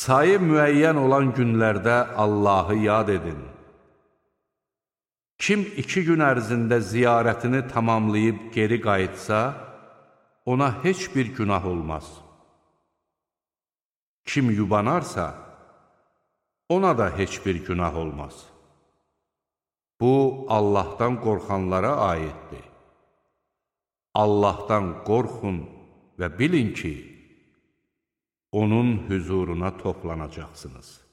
Sayı müəyyən olan günlərdə Allahı yad edin. Kim 2 gün ərzində ziyarətini tamamlayıb geri qayıtsa, ona heç bir günah olmaz. Kim yubanarsa, ona da heç bir günah olmaz. Bu, Allahdan qorxanlara aiddir. Allahdan qorxun və bilin ki, onun hüzuruna toplanacaqsınız.